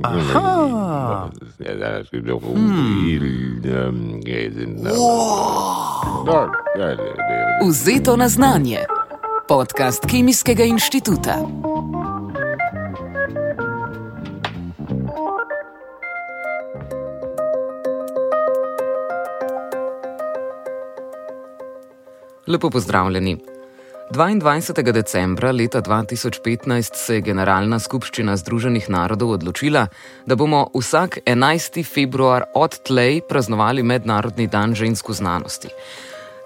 Aha. Vzeto na znanje. Podcast Kemijskega inštituta. Lepo pozdravljeni. 22. decembra leta 2015 se je Generalna skupščina Združenih narodov odločila, da bomo vsak 11. februar odtlej praznovali Mednarodni dan žensk v znanosti.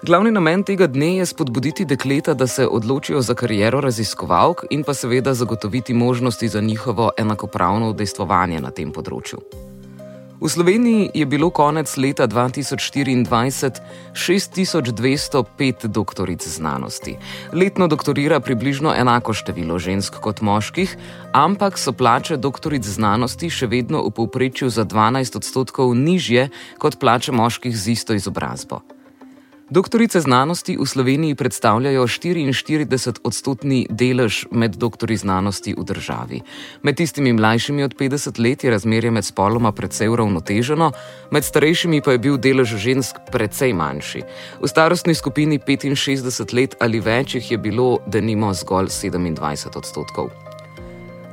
Glavni namen tega dne je spodbuditi dekleta, da se odločijo za kariero raziskovalk in pa seveda zagotoviti možnosti za njihovo enakopravno udejstvovanje na tem področju. V Sloveniji je bilo konec leta 2024 6205 doktoric znanosti. Letno doktorira približno enako število žensk kot moških, ampak so plače doktoric znanosti še vedno v povprečju za 12% nižje kot plače moških z isto izobrazbo. Doktorice znanosti v Sloveniji predstavljajo 44% delež med doktorji znanosti v državi. Med tistimi mlajšimi od 50 let je razmerje med spoloma precej uravnoteženo, med starejšimi pa je bil delež žensk precej manjši. V starostni skupini 65 let ali več jih je bilo denimo zgolj 27%.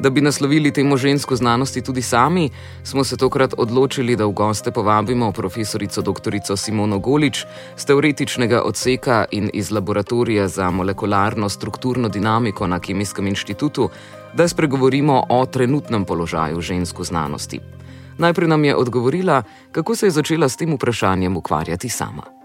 Da bi naslovili temo žensko znanosti tudi sami, smo se tokrat odločili, da v goste povabimo profesorico doktorico Simono Golič z teoretičnega odseka in iz laboratorija za molekularno strukturno dinamiko na Kemijskem inštitutu, da spregovorimo o trenutnem položaju žensk v znanosti. Najprej nam je odgovorila, kako se je začela s tem vprašanjem ukvarjati sama.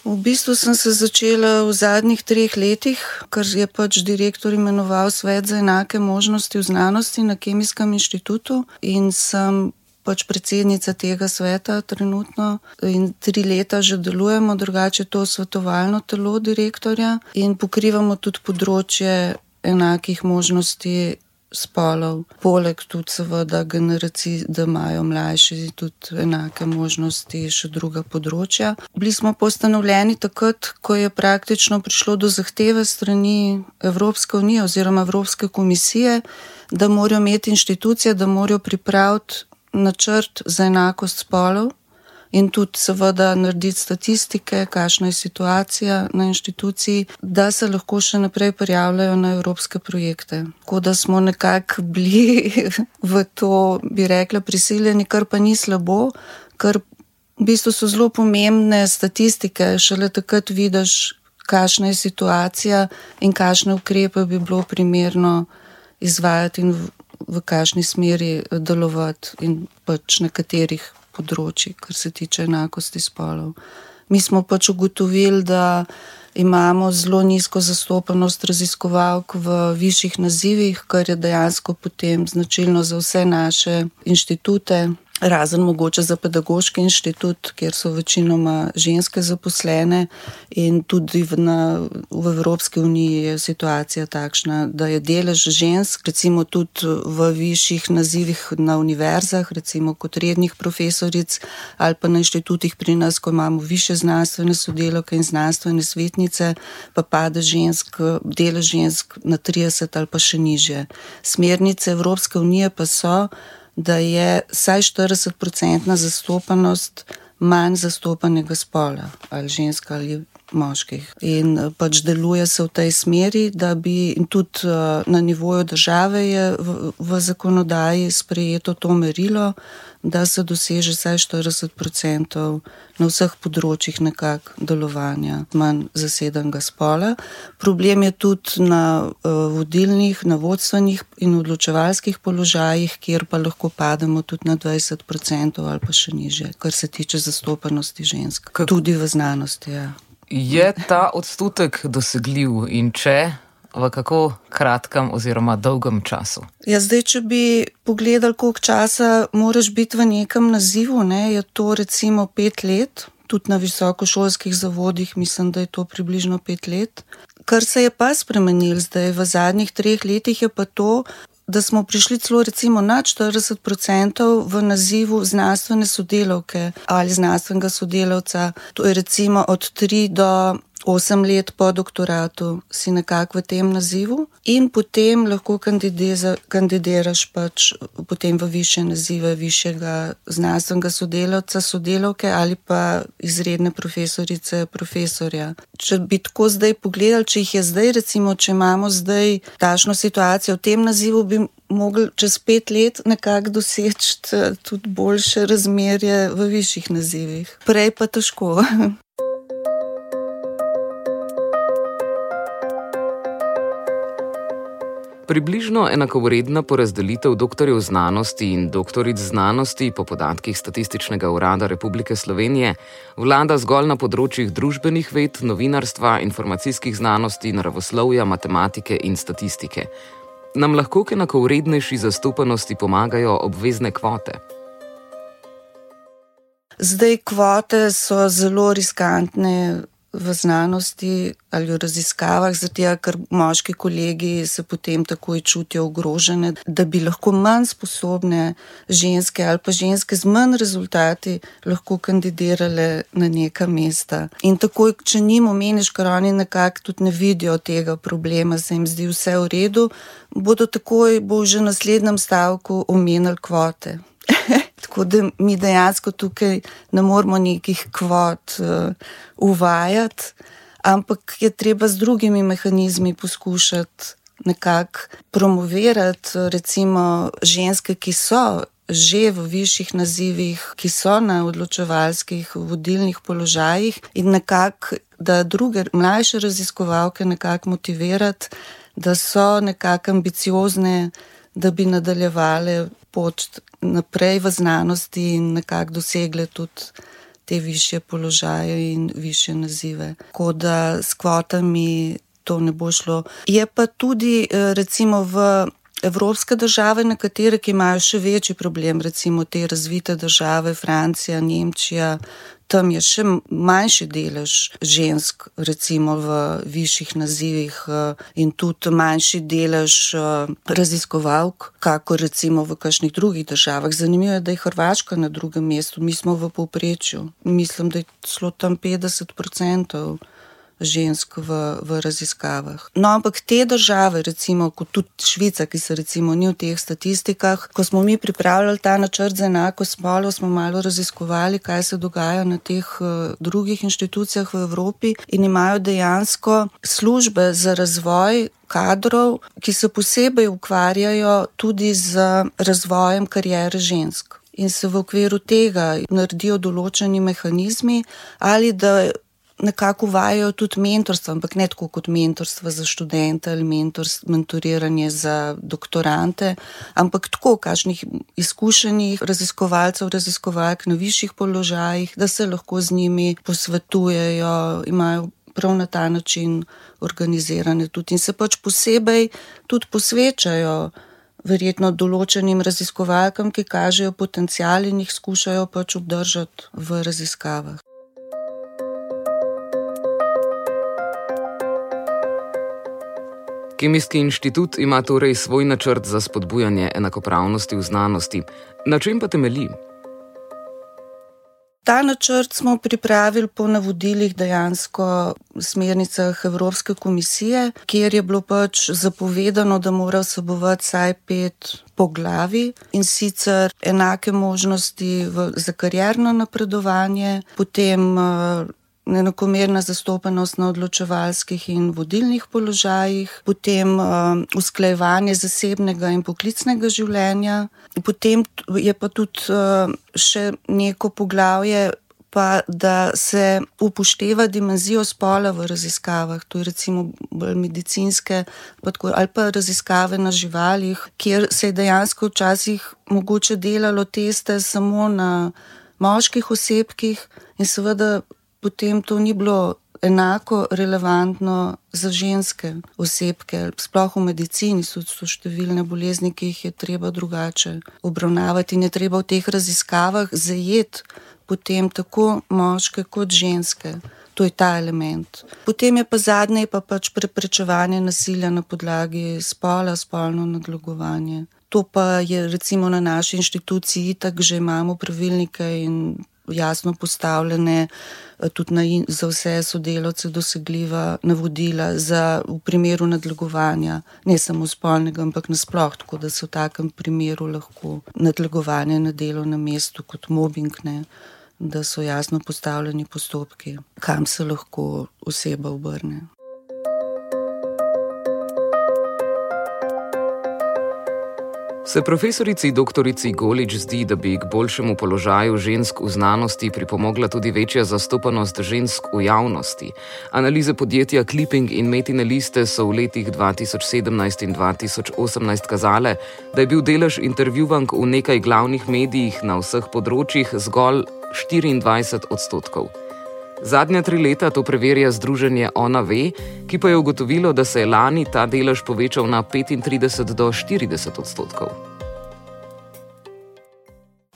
V bistvu sem se začela v zadnjih 3 letih, ker je direktor imenoval svet za enake možnosti v znanosti na Kemijskem inštitutu in sem predsednica tega sveta trenutno in 3 leta že delujemo, drugače to svetovalno telo direktorja in pokrivamo tudi področje enakih možnosti spolov. Poleg tudi seveda generacij, da imajo mlajši tudi enake možnosti, še druga področja. Bili smo postanovljeni takrat, ko je praktično prišlo do zahteve strani Evropske unije oziroma Evropske komisije, da morajo imeti inštitucije, da morajo pripraviti načrt za enakost spolov in tudi seveda narediti statistike, kakšna je situacija na inštituciji, da se lahko še naprej prijavljajo na evropske projekte. Tako da smo nekako bili v to, bi rekla, prisiljeni, kar pa ni slabo, ker v bistvu so zelo pomembne statistike, šele takrat vidiš, kakšna je situacija in kakšne ukrepe bi bilo primerno izvajati in v kakšni smeri delovati in na katerih področji, kar se tiče enakosti spolov. Mi smo ugotovili, da imamo zelo nizko zastopanost raziskovalk v višjih nazivih, kar je dejansko potem značilno za vse naše inštitute, razen mogoče za pedagoški inštitut, kjer so večinoma ženske zaposlene in tudi v Evropski uniji je situacija takšna, da je delež žensk, recimo tudi v višjih nazivih na univerzah, recimo kot rednih profesoric ali pa na inštitutih pri nas, ko imamo više znanstvene sodelavke in znanstvene svetnice, pa pade delež žensk na 30 ali pa še nižje. Smernice Evropske unije pa so, da je vsaj 40% zastopanost manj zastopanega spola, ali žensk ali moških. In deluje se v tej smeri, da bi in tudi na nivoju države je v zakonodaji sprejeto to merilo, da se doseže vsaj 40% na vseh področjih nekako delovanja manj zasedenega spola. Problem je tudi na vodilnih, na vodstvenih in odločevalskih položajih, kjer pa lahko pademo tudi na 20% ali pa še nižje, kar se tiče zastopanosti žensk. Tudi v znanosti, ja. Je ta odstotek dosegljiv in če, v kako kratkem oziroma dolgem času? Ja, zdaj, če bi pogledali, koliko časa moraš biti v nekem nazivu, je to recimo 5 let, tudi na visokošolskih zavodih mislim, da je to približno 5 let. Kar se je pa spremenilo zdaj v zadnjih 3 letih je pa to, da smo prišli celo recimo na 40% v nazivu znanstvene sodelavke ali znanstvenega sodelavca. To je recimo od 3 do 8 let po doktoratu si nekako v tem nazivu in potem lahko kandidiraš pač potem v višje nazive višjega znanstvenega sodelavca, sodelavke ali pa izredne profesorice, profesorja. Če bi tako zdaj pogledali, če jih je zdaj, recimo, če imamo zdaj takšno situacijo v tem nazivu, bi mogli čez 5 let nekako doseči tudi boljše razmerje v višjih nazivih. Prej pa težko. Približno enakovredna porazdelitev doktorjev znanosti in doktoric znanosti po podatkih Statističnega urada Republike Slovenije vlada zgolj na področjih družbenih ved, novinarstva, informacijskih znanosti, naravoslovja, matematike in statistike. Nam lahko k enakovrednejši zastopanosti pomagajo obvezne kvote? Zdaj kvote so zelo riskantne v znanosti ali v raziskavah, zato ker moški kolegi se potem takoj čutijo ogrožene, da bi lahko manj sposobne ženske ali pa ženske z manj rezultati lahko kandidirale na neka mesta. In takoj, če njim omeniš, ker oni nekako tudi ne vidijo tega problema, se jim zdi vse v redu, bodo takoj, bo že v naslednjem stavku omenili kvote. Tako da mi dejansko tukaj ne moramo nekih kvot uvajati, ampak je treba z drugimi mehanizmi poskušati nekako promovirati, recimo ženske, ki so že v višjih nazivih, ki so na odločevalskih vodilnih položajih in nekako, da druge mlajše raziskovalke nekako motivirati, da so nekako ambiciozne, da bi nadaljevale pot naprej v znanosti in nekako dosegle tudi te višje položaje in višje nazive. Tako da s kvotami to ne bo šlo. Je pa tudi recimo v evropske države, nekatere, ki imajo še večji problem, recimo te razvite države, Francija, Nemčija, tam je še manjši delež žensk, recimo v višjih nazivih in tudi manjši delež raziskovalk, kako recimo v kakšnih drugih državah. Zanimivo je, da je Hrvaška na drugem mestu, mi smo v povprečju. Mislim, da je celo tam 50% žensk v raziskavah. No, ampak te države, recimo, kot tudi Švica, ki se recimo ni v teh statistikah, ko smo mi pripravljali ta načrt za enakost spolov, smo malo raziskovali, kaj se dogaja na teh drugih inštitucijah v Evropi in imajo dejansko službe za razvoj kadrov, ki se posebej ukvarjajo tudi z razvojem kariere žensk. In se v okviru tega naredijo določeni mehanizmi ali da nekako uvajajo tudi mentorstvo, ampak ne tako kot mentorstvo za študente ali mentoriranje za doktorante, ampak tako, kakšnih izkušenih raziskovalcev, raziskovalk na višjih položajih, da se lahko z njimi posvetujejo, imajo prav na ta način organizirane tudi in se pač posebej tudi posvečajo verjetno določenim raziskovalkam, ki kažejo potencial in jih skušajo pač obdržati v raziskavah. Kemijski inštitut ima torej svoj načrt za spodbujanje enakopravnosti v znanosti. Na čem pa temelji? Ta načrt smo pripravili po navodilih dejansko smernicah Evropske komisije, kjer je bilo pač zapovedano, da mora vsebovati vsaj 5 poglavij in sicer enake možnosti za karierno napredovanje, potem enakomerna zastopanost na odločevalskih in vodilnih položajih, potem usklajevanje zasebnega in poklicnega življenja, potem je pa tudi še neko poglavje, pa da se upošteva dimenzijo spola v raziskavah, to je recimo bolj medicinske ali pa raziskave na živalih, kjer se je dejansko včasih mogoče delalo teste samo na moških osebkih in seveda potem to ni bilo enako relevantno za ženske osebke. Sploh v medicini so številne bolezni, ki jih je treba drugače obravnavati in je treba v teh raziskavah zajeti potem tako moške kot ženske. To je ta element. Potem je pa zadnje pač preprečevanje nasilja na podlagi spola, spolno nadlegovanje. To pa je recimo na naši inštituciji itak že imamo pravilnike in jasno postavljene, tudi za vse sodelavce dosegljiva navodila v primeru nadlegovanja, ne samo spolnega, ampak nasploh, tako da se v takem primeru lahko nadlegovanje na delovnem mestu kot mobbing, ne, da so jasno postavljeni postopki, kam se lahko oseba obrne. Se profesorici doktorici Golič zdi, da bi k boljšemu položaju žensk v znanosti pripomogla tudi večja zastopanost žensk v javnosti? Analize podjetja Clipping in Metine liste so v letih 2017 in 2018 kazale, da je bil delež intervjuvank v nekaj glavnih medijih na vseh področjih zgolj 24%. Zadnja 3 leta to preverja združenje Ona ve, ki pa je ugotovilo, da se je lani ta delež povečal na 35 do 40%.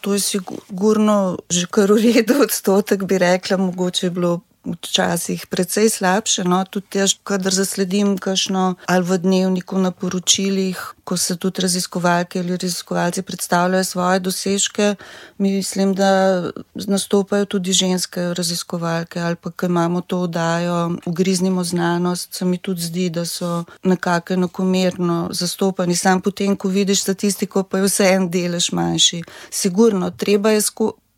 To je sigurno že kar v redu odstotek, bi rekla, mogoče je bilo včasih precej slabše, no, tudi jaz, kadar zasledim kakšno ali v dnevniku na poročilih, ko se tudi raziskovalke ali raziskovalci predstavljajo svoje dosežke, mislim, da nastopajo tudi ženske raziskovalke ali pa, ko imamo to oddajo Ugriznimo znanost, se mi tudi zdi, da so nekako enakomerno zastopani. Sam potem, ko vidiš statistiko, pa je vse en delež manjši. Sigurno, treba je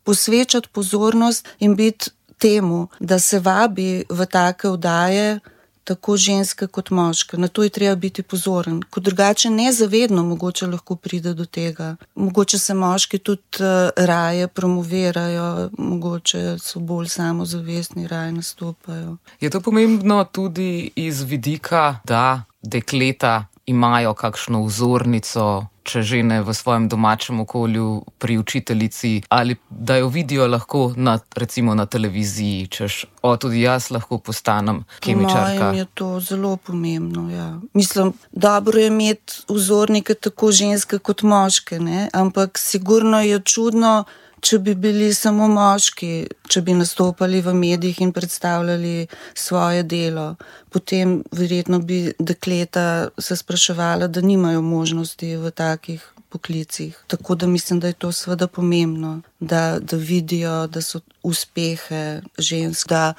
posvečati pozornost in biti temu, da se vabi v take oddaje tako ženske kot moške. Na to je treba biti pozoren. Ko drugače nezavedno mogoče lahko pride do tega. Mogoče se moški tudi raje promovirajo, mogoče so bolj samozavestni, raje nastopajo. Je to pomembno tudi iz vidika, da dekleta imajo kakšno vzornico, če že ne v svojem domačem okolju, pri učiteljici, ali da jo vidijo lahko recimo na televiziji, češ, tudi jaz lahko postanem kemičarka. Po mojem je to zelo pomembno, ja. Mislim, dobro je imeti vzornike tako ženske kot moške, ne? Ampak sigurno je čudno, če bi bili samo moški, če bi nastopali v medijih in predstavljali svoje delo. Potem verjetno bi dekleta se spraševala, da nimajo možnosti v takih poklicih. Tako da mislim, da je to seveda pomembno, da vidijo, da so uspehe žensk, da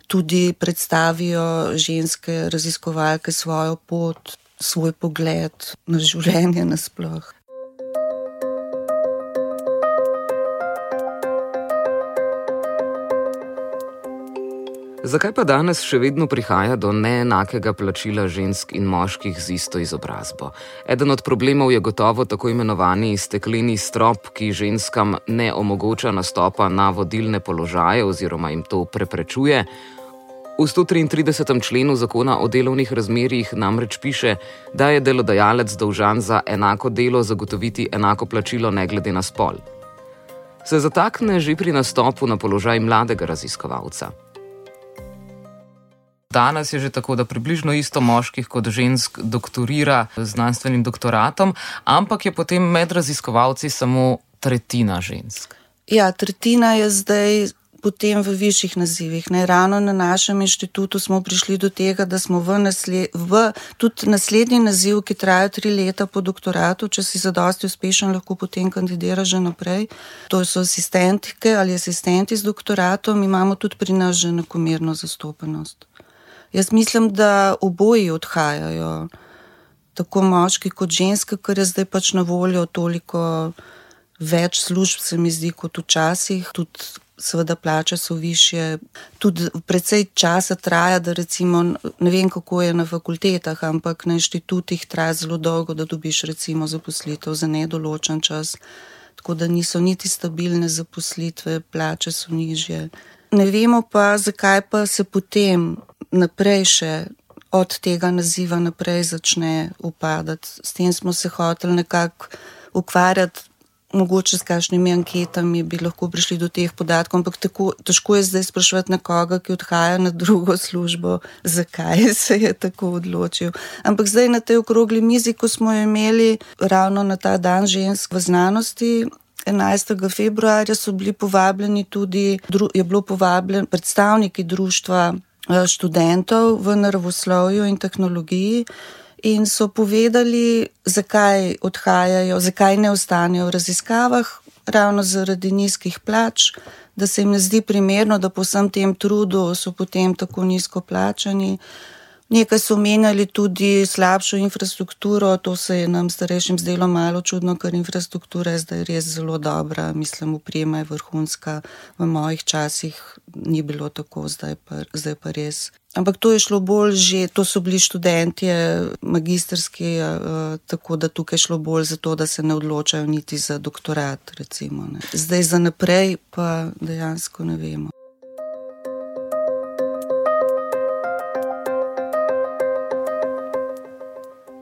tudi predstavijo ženske raziskovalke svojo pot, svoj pogled na življenje nasploh. Zakaj pa danes še vedno prihaja do neenakega plačila žensk in moških z isto izobrazbo? Eden od problemov je gotovo tako imenovani stekleni strop, ki ženskam ne omogoča nastopa na vodilne položaje oziroma jim to preprečuje. V 133. členu zakona o delovnih razmerjih namreč piše, da je delodajalec dolžan za enako delo zagotoviti enako plačilo ne glede na spol. Se zatakne že pri nastopu na položaj mladega raziskovalca. Danes je že tako, da približno isto moških kot žensk doktorira z znanstvenim doktoratom, ampak je potem med raziskovalci samo tretjina žensk. Ja, tretjina je zdaj potem v višjih nazivih. Ne? Ravno na našem inštitutu smo prišli do tega, da smo tudi naslednji naziv, ki traja 3 leta po doktoratu, če si zadosti uspešen, lahko potem kandidiraš že naprej. To so asistentke ali asistenti z doktoratom, imamo tudi pri nas že enakomerno zastopanost. Jaz mislim, da oboji odhajajo, tako moški kot ženske, ker je zdaj pač na voljo toliko več služb, se mi zdi, kot včasih. Tudi seveda plače so višje, tudi precej časa traja, da recimo, ne vem kako je na fakultetah, ampak na inštitutih traja zelo dolgo, da dobiš recimo zaposlitev za nedoločen čas, tako da niso niti stabilne zaposlitve, plače so nižje. Ne vemo pa, zakaj pa se potem naprej še od tega naziva naprej začne upadati. S tem smo se hoteli nekako ukvarjati, mogoče s kakšnimi anketami bi lahko prišli do teh podatkov, ampak težko je zdaj spraševati nekoga, ki odhaja na drugo službo, zakaj se je tako odločil. Ampak zdaj na tej okrogli mizi, ko smo jo imeli ravno na ta dan žensk v znanosti, 11. februarja so bili povabljeni tudi, predstavniki društva študentov v naravoslovju in tehnologiji in so povedali, zakaj odhajajo, zakaj ne ostanejo v raziskavah, ravno zaradi nizkih plač, da se jim ne zdi primerno, da po vsem tem trudu so potem tako nizko plačani. Nekaj so omenjali tudi slabšo infrastrukturo, to se je nam starejšim zdelo malo čudno, ker infrastruktura je zdaj res zelo dobra, mislim, oprema je vrhunska, v mojih časih ni bilo tako, zdaj pa res. Ampak to je šlo bolj že, to so bili študentje magistrski, tako da tukaj je šlo bolj za to, da se ne odločajo niti za doktorat, recimo. Ne. Zdaj za naprej pa dejansko ne vemo.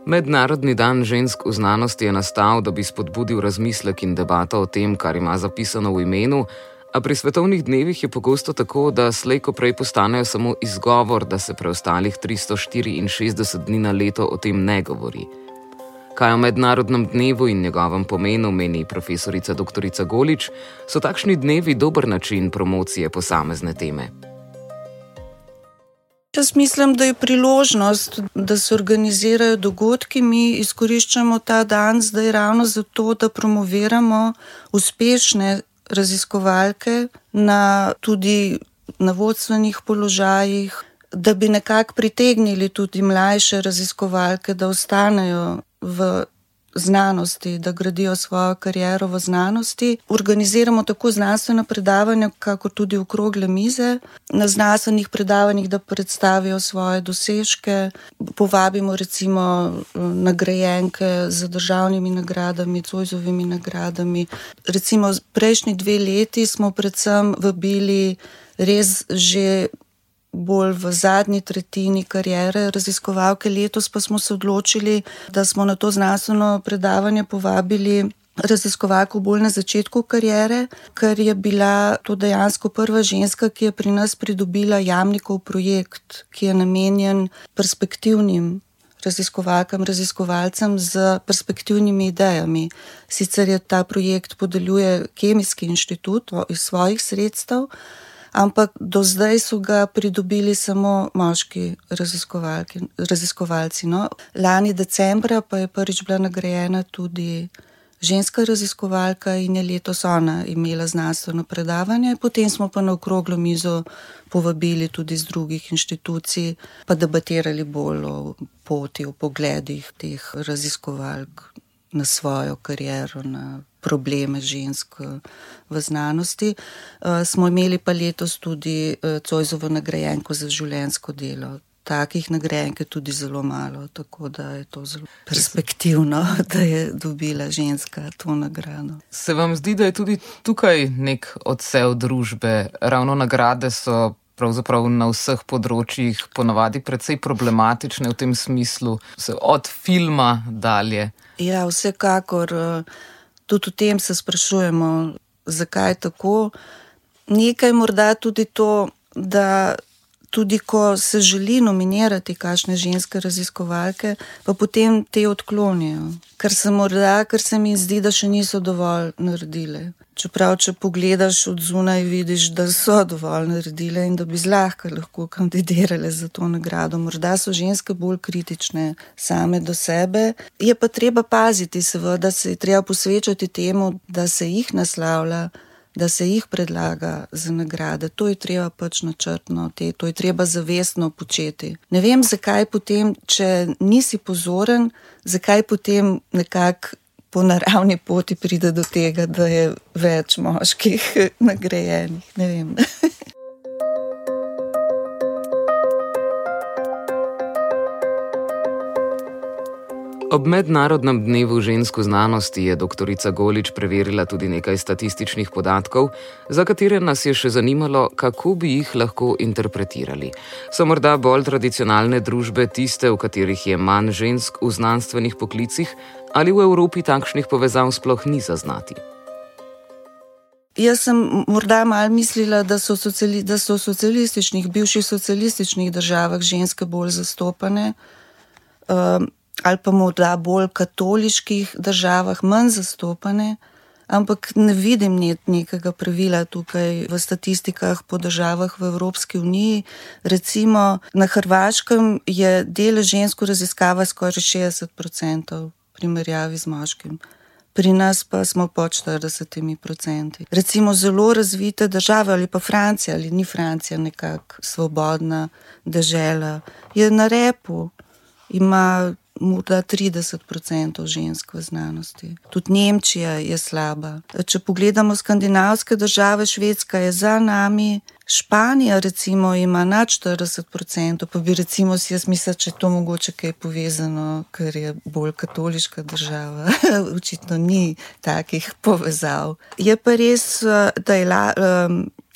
Mednarodni dan žensk v znanosti je nastal, da bi spodbudil razmislek in debato o tem, kar ima zapisano v imenu, a pri svetovnih dnevih je pogosto tako, da slej ko prej postanejo samo izgovor, da se preostalih 364 dni na leto o tem ne govori. Kaj o mednarodnem dnevu in njegovem pomenu meni profesorica dr. Golič, so takšni dnevi dober način promocije posamezne teme. Jaz mislim, da je priložnost, da se organizirajo dogodki. Mi izkoriščamo ta dan zdaj ravno zato, da promoviramo uspešne raziskovalke tudi na vodstvenih položajih, da bi nekako pritegnili tudi mlajše raziskovalke, da ostanejo v znanosti, da gradijo svojo kariero v znanosti. Organiziramo tako znanstvena predavanja, kako tudi okrogle mize. Na znanstvenih predavanjih, da predstavijo svoje dosežke. Povabimo recimo nagrajenke z državnimi nagradami, Zoisovimi nagradami. Recimo prejšnji 2 leti smo predvsem vabili res že bolj v zadnji tretjini kariere raziskovalke. Letos pa smo se odločili, da smo na to znanstveno predavanje povabili raziskovalko bolj na začetku kariere, ker je bila to dejansko prva ženska, ki je pri nas pridobila Jamnikov projekt, ki je namenjen perspektivnim raziskovalkam, raziskovalcem z perspektivnimi idejami. Sicer je ta projekt podeljuje Kemijski inštitut iz svojih sredstev, ampak do zdaj so ga pridobili samo moški raziskovalci. No. Lani decembra pa je prvič bila nagrajena tudi ženska raziskovalka in je letos ona imela znanstveno predavanje. Potem smo pa na okroglo mizo povabili tudi iz drugih inštitucij, pa debatirali bolj o poti, o pogledih teh raziskovalk na svojo kariero, na probleme žensk v znanosti. Smo imeli pa letos tudi Zoisovo nagrajenko za življenjsko delo. Takih nagrajenk je tudi zelo malo, tako da je to zelo perspektivno, da je dobila ženska to nagrado. Se vam zdi, da je tudi tukaj nek odsev družbe? Ravno nagrade so pravzaprav na vseh področjih ponavadi precej problematične v tem smislu, od filma dalje. Ja, vsekakor. Tudi o tem se sprašujemo, zakaj je tako. Nekaj morda tudi to, da tudi ko se želi nominirati kakšne ženske raziskovalke, pa potem te odklonijo. Ker se mi zdi, da še niso dovolj naredile. Čeprav, če pogledaš od zunaj, vidiš, da so dovolj naredile in da bi zlahka lahko kandidirale za to nagrado. Morda so ženske bolj kritične same do sebe. Je pa treba paziti, seveda se je treba posvečati temu, da se jih naslavlja, da se jih predlaga za nagrade. To je treba pač načrtno, to je treba zavestno početi. Ne vem, zakaj potem, če nisi pozoren, zakaj potem nekako po naravni poti pride do tega, da je več moških nagrajenih. Ne vem. Ob mednarodnem dnevu žensk v znanosti je dr. Golič preverila tudi nekaj statističnih podatkov, za katere nas je še zanimalo, kako bi jih lahko interpretirali. So morda bolj tradicionalne družbe tiste, v katerih je manj žensk v znanstvenih poklicih, ali v Evropi takšnih povezav sploh ni zaznati? Jaz sem morda malo mislila, da so v bivših socialističnih državah ženske bolj zastopane, ali pa morda bolj katoliških državah manj zastopane, ampak ne vidim nekega pravila tukaj v statistikah po državah v Evropski uniji. Recimo na Hrvaškem je delež žensk v raziskavah skoraj 60% v primerjavi z moškim. pri nas pa smo pod 40%. Recimo zelo razvite države ali pa Francija, ali ni Francija nekako svobodna dežela, je na repu, ima morda 30% žensk v znanosti. Tudi Nemčija je slaba. Če pogledamo skandinavske države, Švedska je za nami, Španija recimo ima nad 40%, pa bi recimo si jaz mislila, če je to mogoče kaj povezano, ker je bolj katoliška država. Očitno ni takih povezav. Je pa res, da je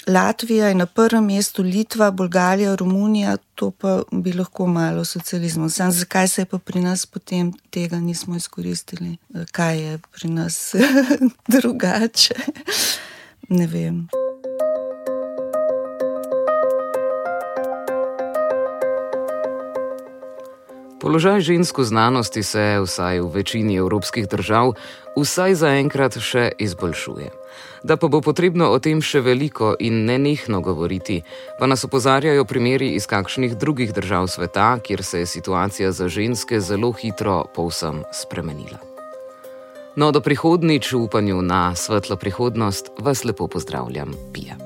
Latvija je na prvem mestu, Litva, Bolgarija, Romunija, to pa bi lahko malo socializmu. Sam zakaj se je pa pri nas potem tega nismo izkoristili? Kaj je pri nas drugače? Ne vem. Položaj žensk v znanosti se, vsaj v večini evropskih držav, vsaj zaenkrat še izboljšuje. Da pa bo potrebno o tem še veliko in nenehno govoriti, pa nas opozarjajo primeri iz kakšnih drugih držav sveta, kjer se je situacija za ženske zelo hitro povsem spremenila. No, do prihodnjič v upanju na svetlo prihodnost vas lepo pozdravljam, Pija.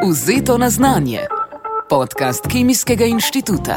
Vzeto na znanje. Podcast Kemijskega inštituta.